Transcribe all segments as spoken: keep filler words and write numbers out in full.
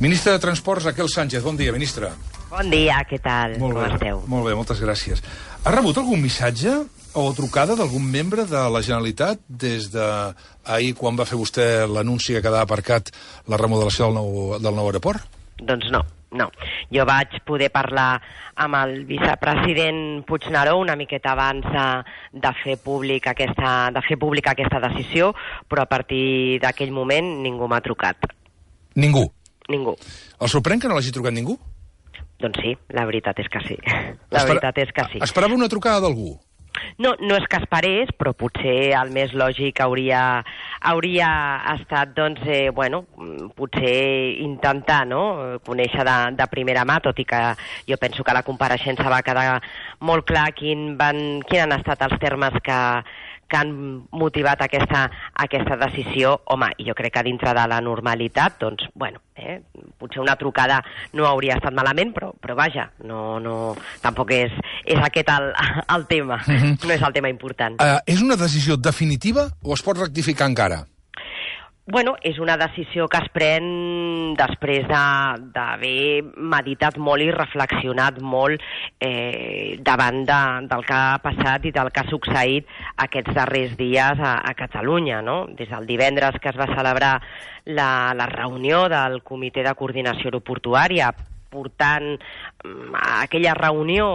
Ministre de Transports, Raquel Sánchez. Bon dia, ministre. Bon dia, què tal? Molt Com bé, esteu? Molt bé, moltes gràcies. Ha rebut algun missatge o trucada d'algun membre de la Generalitat des d'ahir, quan va fer vostè l'anunci que quedava aparcat la remodelació del nou, del nou aeroport? Doncs no, no. Jo vaig poder parlar amb el vicepresident Puigneró una miqueta abans de, de fer públic aquesta, de fer pública aquesta decisió, però a partir d'aquell moment ningú m'ha trucat. Ningú? Ningú. El sorprèn que no l'hagi trucat ningú? Doncs sí, la veritat és que sí. La Espera, veritat és que sí. Esperava una trucada d'algú? No, no és que esperés, però potser el més lògic hauria, hauria estat, doncs, eh, bueno, potser intentar, no?, conèixer de, de primera mà, tot i que jo penso que la compareixença va quedar molt clar quin van, quin han estat els termes que, que han motivat aquesta, aquesta decisió. Home, jo crec que dintre de la normalitat, doncs, bueno, eh, potser una trucada no hauria estat malament, però, però vaja, no, no, tampoc és, és aquest el, el tema, uh-huh. No és el tema important. Uh, és una decisió definitiva o es pot rectificar encara? Bueno, és una decisió que es pren després d'haver meditat molt i reflexionat molt eh, davant de, del que ha passat i del que ha succeït aquests darrers dies a, a Catalunya, no? Des del divendres que es va celebrar la, la reunió del Comitè de Coordinació Aeroportuària, portant a aquella reunió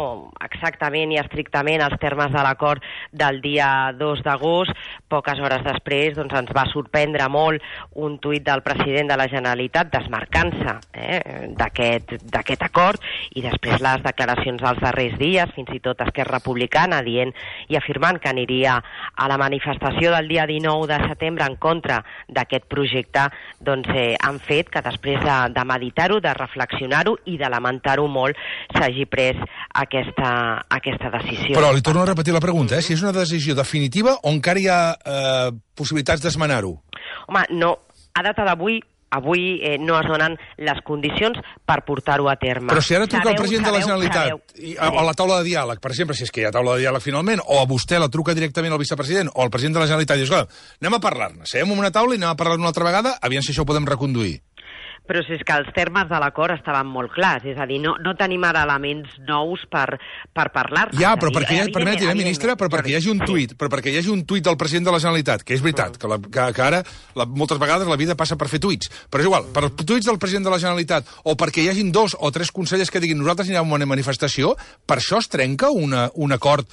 exactament i estrictament els termes de l'acord del dia dos d'agost, poques hores després doncs, ens va sorprendre molt un tuit del president de la Generalitat desmarcant-se eh, d'aquest acord, i després les declaracions dels darrers dies, fins i tot Esquerra Republicana dient i afirmant que aniria a la manifestació del dia dinou de setembre en contra d'aquest projecte, doncs eh, han fet que després de, de meditar-ho, de reflexionar-ho i de lamentar-ho molt, s'hagi pres aquesta, aquesta decisió. Però li torno a repetir la pregunta, eh? Si és una decisió definitiva o encara hi ha eh, possibilitats d'esmenar-ho? Home, no. A data d'avui, avui eh, no es donen les condicions per portar-ho a terme. Però si ara truca sabeu, el president sabeu, de la Generalitat sabeu, i, a, a la taula de diàleg, per exemple, si és que hi ha taula de diàleg finalment, o a vostè la truca directament al vicepresident o al president de la Generalitat i dius, escolta, anem a parlar-ne, seguem en una taula i anem a parlar una altra vegada, aviam si això ho podem reconduir. Però si és que els termes de l'acord estaven molt clars, és a dir, no, no tenim ara elements nous per, per parlar-ne. Ja, però perquè, ja, permeti, eh, ministre, però perquè hi hagi un tuit, però perquè hi hagi un tuit del president de la Generalitat, que és veritat, que, la, que, que ara la, moltes vegades la vida passa per fer tuits, però és igual, per els tuits del president de la Generalitat, o perquè hi hagin dos o tres consellers que diguin nosaltres anirem a una manifestació, per això es trenca una, un acord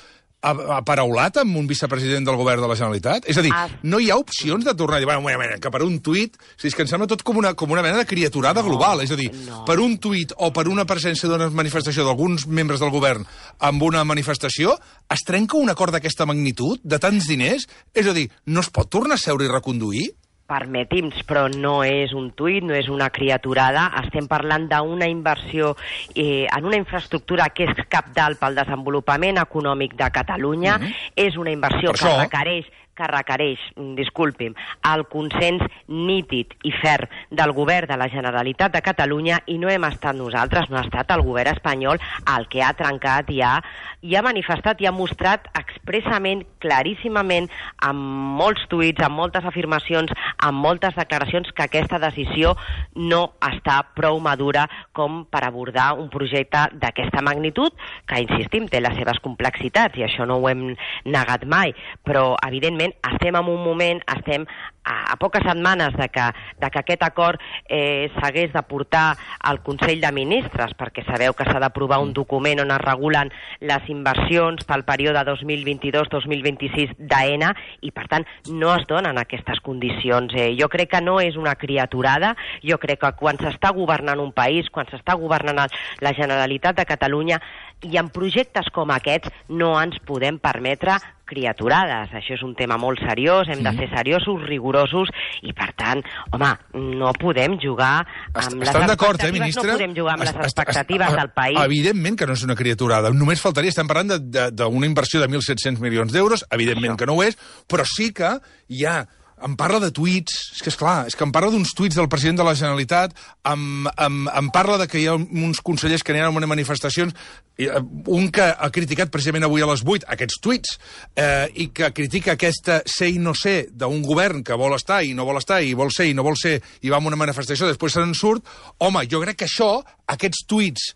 aparaulat amb un vicepresident del govern de la Generalitat? És a dir, no hi ha opcions de tornar a dir, bueno, bueno, bueno, que per un tuit, si és que em sembla tot com una, com una mena de criaturada no, global, és a dir, no. Per un tuit o per una presència d'una manifestació d'alguns membres del govern amb una manifestació, es trenca un acord d'aquesta magnitud, de tants diners? És a dir, no es pot tornar a seure i reconduir? Permeti'm, però no és un tuit, no és una criaturada. Estem parlant d'una inversió eh, en una infraestructura que és cabdal pel desenvolupament econòmic de Catalunya. Mm-hmm. És una inversió per que això... requereix que requereix, disculpi'm, el consens nítid i ferm del govern de la Generalitat de Catalunya, i no hem estat nosaltres, no ha estat el govern espanyol el que ha trencat i ha, i ha manifestat i ha mostrat expressament, claríssimament, amb molts tuits, amb moltes afirmacions, amb moltes declaracions, que aquesta decisió no està prou madura com per abordar un projecte d'aquesta magnitud, que, insistim, té les seves complexitats, i això no ho hem negat mai, però, evidentment, estem en un moment, estem a, a poques setmanes de que, de que aquest acord eh, s'hagués de portar al Consell de Ministres, perquè sabeu que s'ha d'aprovar un document on es regulen les inversions pel període dos mil vint-i-dos dos mil vint-i-sis d'AENA, i per tant no es donen aquestes condicions. Eh, jo crec que no és una criaturada, jo crec que quan s'està governant un país, quan s'està governant la Generalitat de Catalunya, i en projectes com aquests no ens podem permetre criaturades. Això és un tema molt seriós, hem de ser seriosos, rigorosos, i per tant, home, no podem jugar amb les expectatives, eh, ministre? No podem jugar amb les expectatives del país. Evidentment que no és una criaturada, només faltaria, estem parlant d'una inversió de mil set-cents milions d'euros, evidentment que no ho és, però sí que hi ha em parla de tuits, és que és clar, és que em parla d'uns tuits del president de la Generalitat, em, em, em parla de que hi ha uns consellers que aniran a unes manifestacions, un que ha criticat precisament avui a les vuit aquests tuits, eh, i que critica aquesta ser i no ser d'un govern que vol estar i no vol estar, i vol ser i no vol ser, i va a una manifestació, després se n'en surt. Home, jo crec que això, aquests tuits,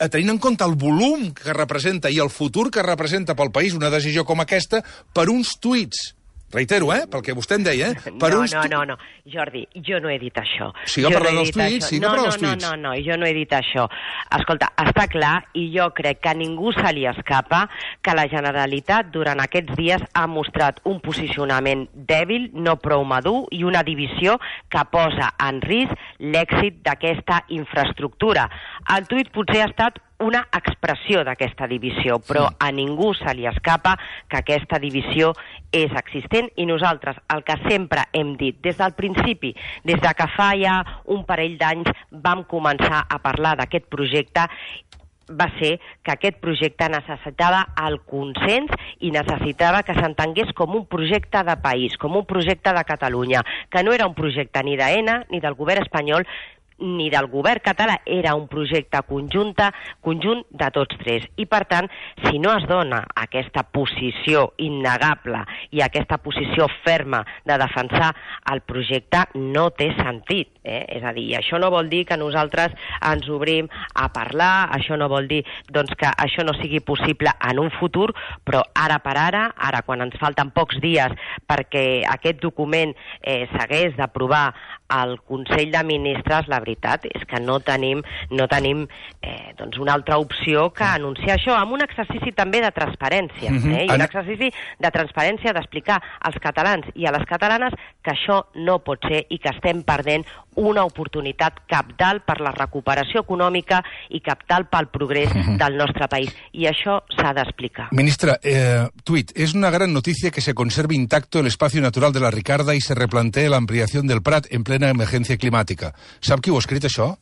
tenint en compte el volum que representa i el futur que representa pel país una decisió com aquesta, per uns tuits, reitero, eh, pel que vostè em deia, eh? Per no, uns no, no, no, Jordi, jo no he dit això. Sí que parla dels tuits, sí que no, parla no, dels tuits. No, no, no, jo no he dit això. Escolta, està clar, i jo crec que a ningú se li escapa que la Generalitat durant aquests dies ha mostrat un posicionament dèbil, no prou madur, i una divisió que posa en risc l'èxit d'aquesta infraestructura. El tuit potser ha estat una expressió d'aquesta divisió, però a ningú se li escapa que aquesta divisió és existent, i nosaltres el que sempre hem dit des del principi, des de que fa ja un parell d'anys vam començar a parlar d'aquest projecte, va ser que aquest projecte necessitava el consens i necessitava que s'entengués com un projecte de país, com un projecte de Catalunya, que no era un projecte ni d'Aena ni del govern espanyol, ni del govern català, era un projecte conjunta, conjunt de tots tres. I, per tant, si no es dona aquesta posició innegable i aquesta posició ferma de defensar el projecte, no té sentit. Eh? És a dir, això no vol dir que nosaltres ens obrim a parlar, això no vol dir doncs, que això no sigui possible en un futur, però ara per ara, ara quan ens falten pocs dies perquè aquest document eh, s'hagués d'aprovar al Consell de Ministres, la veritat és que no tenim, no tenim eh, doncs una altra opció que anunciar això, amb un exercici també de transparència, eh? I un exercici de transparència d'explicar als catalans i a les catalanes que això no pot ser i que estem perdent una oportunitat cabdal per la recuperació econòmica i cabdal pel progrés del nostre país. I això s'ha d'explicar. Ministra, eh, tuit, es una gran noticia que se conserve intacto el espacio natural de la Ricarda y se replantee la ampliación del Prat en plena emergència climàtica. Sap qui ho ha escrit, això?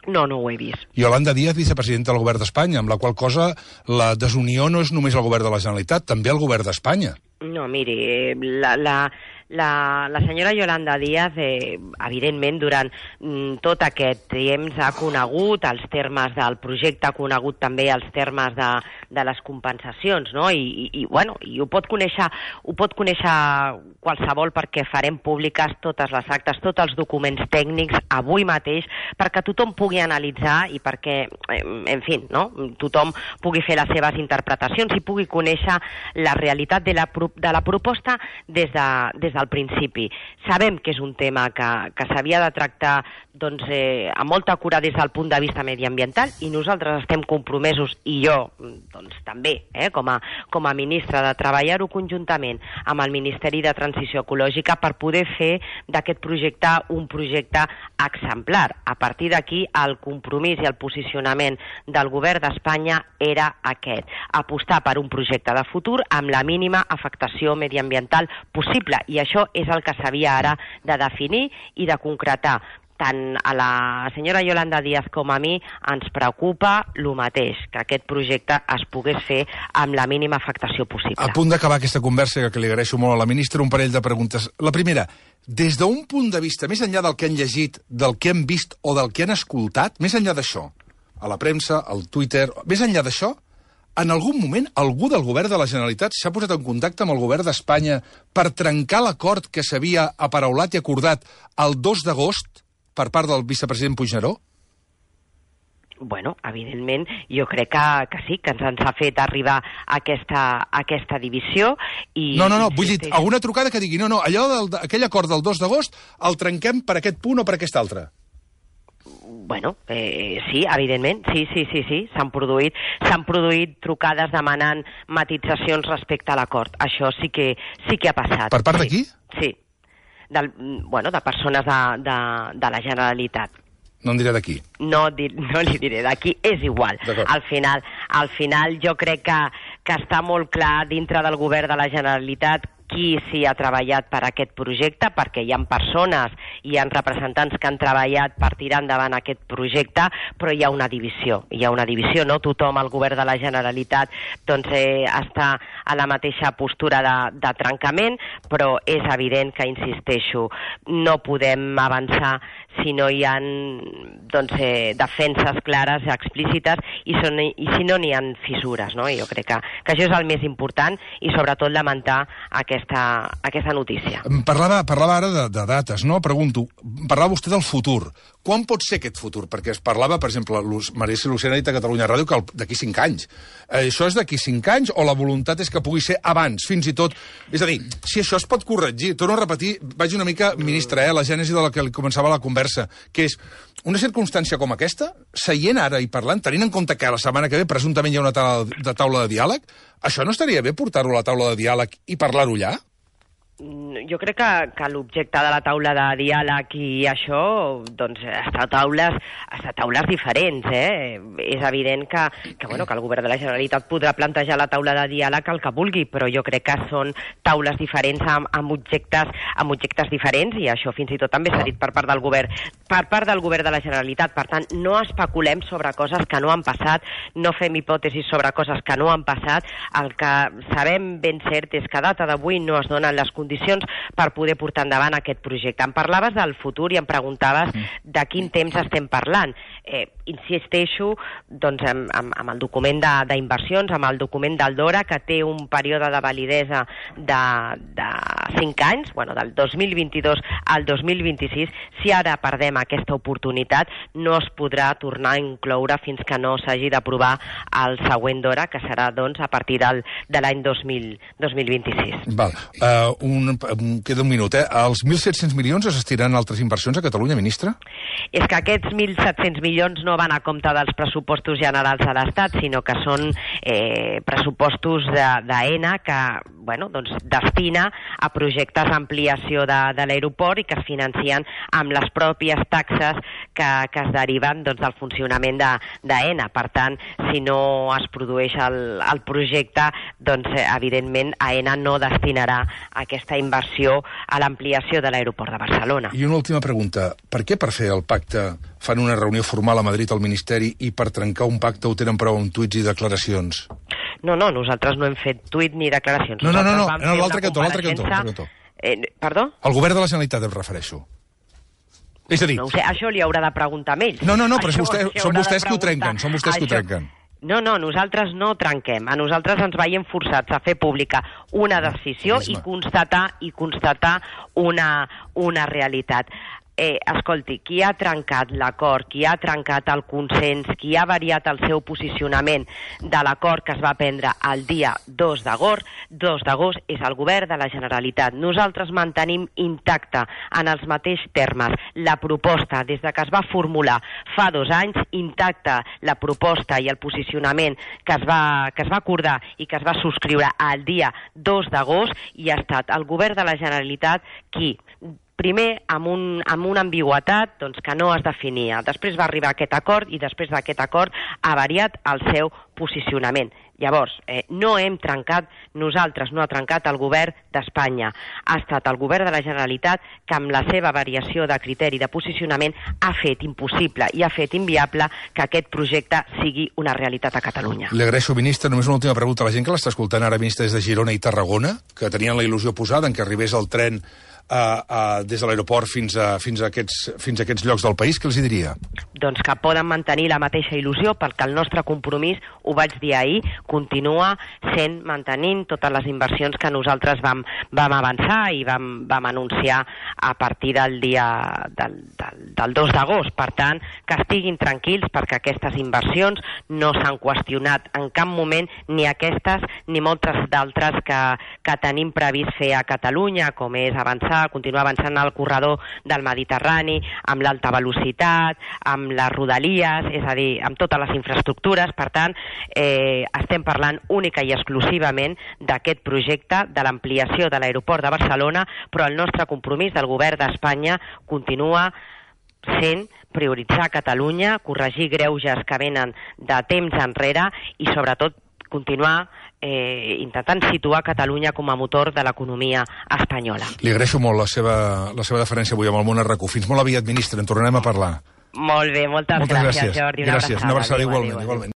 No, no ho he vist. Yolanda Díaz, vicepresidenta del govern d'Espanya, amb la qual cosa la desunió no és només el govern de la Generalitat, també el govern d'Espanya. No, miri, la, la, la, la senyora Yolanda Díaz, eh, evidentment, durant mm, tot aquest temps ha conegut els termes del projecte, ha conegut també els termes de, de les compensacions, no? I, i, i, bueno, i ho pot conèixer, ho pot conèixer qualsevol perquè farem públiques totes les actes, tots els documents tècnics avui mateix, perquè tothom pugui analitzar i perquè, en fi, no? Tothom pugui fer les seves interpretacions i pugui conèixer la realitat de la de la proposta des, de, des del principi. Sabem que és un tema que, que s'havia de tractar doncs, eh, amb molta cura des del punt de vista mediambiental i nosaltres estem compromesos, i jo doncs, també, eh, com, a, com a ministra, de treballar-ho conjuntament amb el Ministeri de Transició Ecològica per poder fer d'aquest projecte un projecte exemplar. A partir d'aquí, el compromís i el posicionament del govern d'Espanya era aquest, apostar per un projecte de futur amb la mínima afectació mediambiental possible, i això és el que s'havia ara de definir i de concretar. Tant a la senyora Yolanda Díaz com a mi ens preocupa el mateix, que aquest projecte es pogués fer amb la mínima afectació possible. A punt d'acabar aquesta conversa, que li agraeixo molt a la ministra, un parell de preguntes. La primera, des d'un punt de vista, més enllà del que han llegit, del que han vist o del que han escoltat, més enllà d'això, a la premsa, al Twitter, més enllà d'això, en algun moment algú del govern de la Generalitat s'ha posat en contacte amb el govern d'Espanya per trencar l'acord que s'havia aparaulat i acordat el dos d'agost per part del vicepresident Puigneró? Bueno, evidentment, jo crec que, que sí, que ens, ens ha fet arribar aquesta, aquesta divisió. I, no, no, no, vull dir, alguna trucada que digui, no, no, allò del, aquell acord del dos d'agost el trenquem per aquest punt o per aquest altre. Bueno, eh, sí, evidentment, sí, sí, sí, sí, s'han produït, s'han produït trucades demanant matitzacions respecte a l'acord. Això sí que, sí que ha passat. Per part sí, de qui? Sí, del, bueno, de persones de, de, de la Generalitat. No en diré d'aquí. No, no li diré d'aquí, és igual. Al final, al final jo crec que, que està molt clar dintre del govern de la Generalitat qui s'hi ha treballat per aquest projecte, perquè hi ha persones, hi ha representants que han treballat per tirar endavant aquest projecte, però hi ha una divisió, hi ha una divisió, no tothom al govern de la Generalitat doncs, eh, està a la mateixa postura de, de trencament, però és evident que, insisteixo, no podem avançar si no hi ha doncs, eh, defenses clares, explícites, i, són, i si no n'hi ha fissures. No? Jo crec que, que això és el més important i sobretot lamentar aquesta, aquesta notícia. Parlava, parlava ara de, de dates, no? Pregunto, parlava vostè del futur. Quan pot ser aquest futur? Perquè es parlava, per exemple, Maria Lucena ha dit a Catalunya Ràdio que d'aquí cinc anys. Eh, això és d'aquí cinc anys o la voluntat és que pugui ser abans, fins i tot? És a dir, si això es pot corregir, torno a repetir, vaig una mica, ministre, eh, la gènesi de la que li començava la conversa, que és una circumstància com aquesta, seient ara i parlant, tenint en compte que la setmana que ve presumptament hi ha una taula de, taula de diàleg, això no estaria bé portar-ho a la taula de diàleg i parlar-ho allà? Jo crec que, que l'objecte de la taula de diàleg i això, doncs, està a taules, està a taules diferents, eh? És evident que, que, bueno, que el govern de la Generalitat podrà plantejar la taula de diàleg el que vulgui, però jo crec que són taules diferents amb, amb, objectes, amb objectes diferents, i això fins i tot també s'ha dit per part del govern, per part del govern de la Generalitat. Per tant, no especulem sobre coses que no han passat, no fem hipòtesis sobre coses que no han passat. El que sabem ben cert és que a data d'avui no es donen les condicions per poder portar endavant aquest projecte. Em parlaves del futur i em preguntaves de quin temps estem parlant. Eh, insisteixo doncs, amb, amb, amb el document d'inversions, amb el document del DORA, que té un període de validesa de, de cinc anys, bueno, del dos mil vint-i-dos al dos mil vint-i-sis. Si ara perdem aquesta oportunitat, no es podrà tornar a incloure fins que no s'hagi d'aprovar el següent DORA, que serà doncs, a partir del, de l'any dos mil vint-i-sis. Val. Uh, un, queda un minut, eh? Els mil set-cents milions es destinaran a altres inversions a Catalunya, ministre? És que aquests mil set-cents milions no van a compte dels pressupostos generals de l'Estat, sinó que són eh, pressupostos d'AENA que bueno, doncs, destina a projectes d'ampliació de, de l'aeroport i que es financien amb les pròpies taxes que, que es deriven doncs, del funcionament d'AENA. Per tant, si no es produeix el, el projecte, doncs, evidentment, AENA no destinarà aquesta inversió a l'ampliació de l'aeroport de Barcelona. I una última pregunta. Per què per fer el pacte fan una reunió formal a Madrid al Ministeri i per trencar un pacte ho tenen prou amb tuits i declaracions? No, no, nosaltres no hem fet tuit ni declaracions. No, no, no, no, no l'altre cantó, l'altre cantó. cantó. Eh, perdó? El govern de la Generalitat em refereixo. És a dir... No ho sé, això li haurà de preguntar a ells. No, no, no, però això, vostè, són vostès que ho trenquen, són vostès que ho trenquen. No, no, nosaltres no trenquem. A nosaltres ens veiem forçats a fer pública una decisió i constatar i constatar una, una realitat. Eh, escolti, qui ha trencat l'acord, qui ha trencat el consens, qui ha variat el seu posicionament de l'acord que es va prendre el dia dos d'agost, dos d'agost és el govern de la Generalitat. Nosaltres mantenim intacte en els mateixos termes la proposta des de que es va formular fa dos anys, intacta la proposta i el posicionament que es va, que es va acordar i que es va subscriure el dia dos d'agost, i ha estat el govern de la Generalitat qui primer amb, un, amb una ambigüetat doncs, que no es definia. Després va arribar aquest acord i després d'aquest acord ha variat el seu posicionament. Llavors, eh, no hem trencat, nosaltres no ha trencat el govern d'Espanya. Ha estat el govern de la Generalitat que amb la seva variació de criteri de posicionament ha fet impossible i ha fet inviable que aquest projecte sigui una realitat a Catalunya. Li agraeixo, ministre. Només una última pregunta a la gent que l'està escoltant ara, ministre, des de Girona i Tarragona, que tenien la il·lusió posada en que arribés el tren Uh, uh, des de l'aeroport fins, a, fins, a aquests, fins a aquests llocs del país, què els hi diria? Doncs que poden mantenir la mateixa il·lusió, perquè el nostre compromís, ho vaig dir ahir, continua sent mantenint totes les inversions que nosaltres vam, vam avançar i vam, vam anunciar a partir del dia del, del, del dos d'agost. Per tant, que estiguin tranquils perquè aquestes inversions no s'han qüestionat en cap moment, ni aquestes ni moltes d'altres que, que tenim previst fer a Catalunya, com és avançar continuar avançant al corredor del Mediterrani, amb l'alta velocitat, amb les rodalies, és a dir, amb totes les infraestructures. Per tant, eh, estem parlant única i exclusivament d'aquest projecte, de l'ampliació de l'aeroport de Barcelona, però el nostre compromís del govern d'Espanya continua sent prioritzar Catalunya, corregir greuges que venen de temps enrere i, sobretot, continuar eh, intentant situar Catalunya com a motor de l'economia espanyola. Li agraeixo molt la seva, la seva deferència avui amb el món a RAC u. Fins molt aviat, ministre, en tornarem a parlar. Molt bé, moltes, moltes gràcies, gràcies, Jordi. Una gràcies. abraçada. Una abraçada Adéu, igualment, adéu, adéu. igualment.